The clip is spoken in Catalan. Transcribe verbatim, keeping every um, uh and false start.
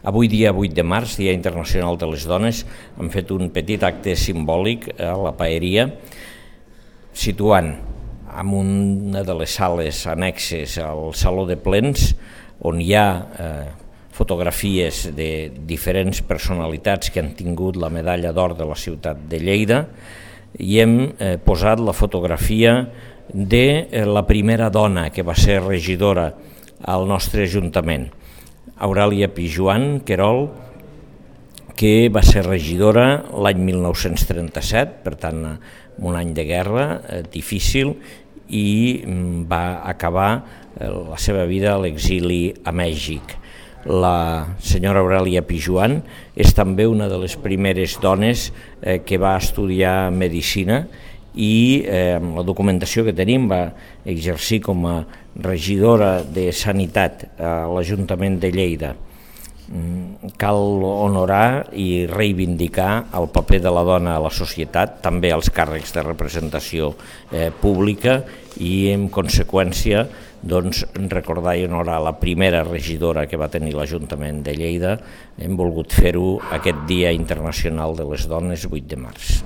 Avui dia vuit de març, Dia Internacional de les Dones, hem fet un petit acte simbòlic a la Paeria, situant en una de les sales annexes al Saló de Plens, on hi ha eh, fotografies de diferents personalitats que han tingut la medalla d'or de la ciutat de Lleida, i hem eh, posat la fotografia de eh, la primera dona que va ser regidora al nostre Ajuntament, Aurèlia Pijoan Querol, que va ser regidora l'any mil nou-cents trenta-set, per tant, un any de guerra eh, difícil, i va acabar eh, la seva vida a l'exili a Mèxic. La senyora Aurèlia Pijoan és també una de les primeres dones eh, que va estudiar medicina i eh, amb la documentació que tenim va exercir com a regidora de Sanitat a l'Ajuntament de Lleida. Cal honorar i reivindicar el paper de la dona a la societat, també als càrrecs de representació eh, pública, i en conseqüència doncs, recordar i honorar la primera regidora que va tenir l'Ajuntament de Lleida. Hem volgut fer-ho aquest Dia Internacional de les Dones, vuit de març.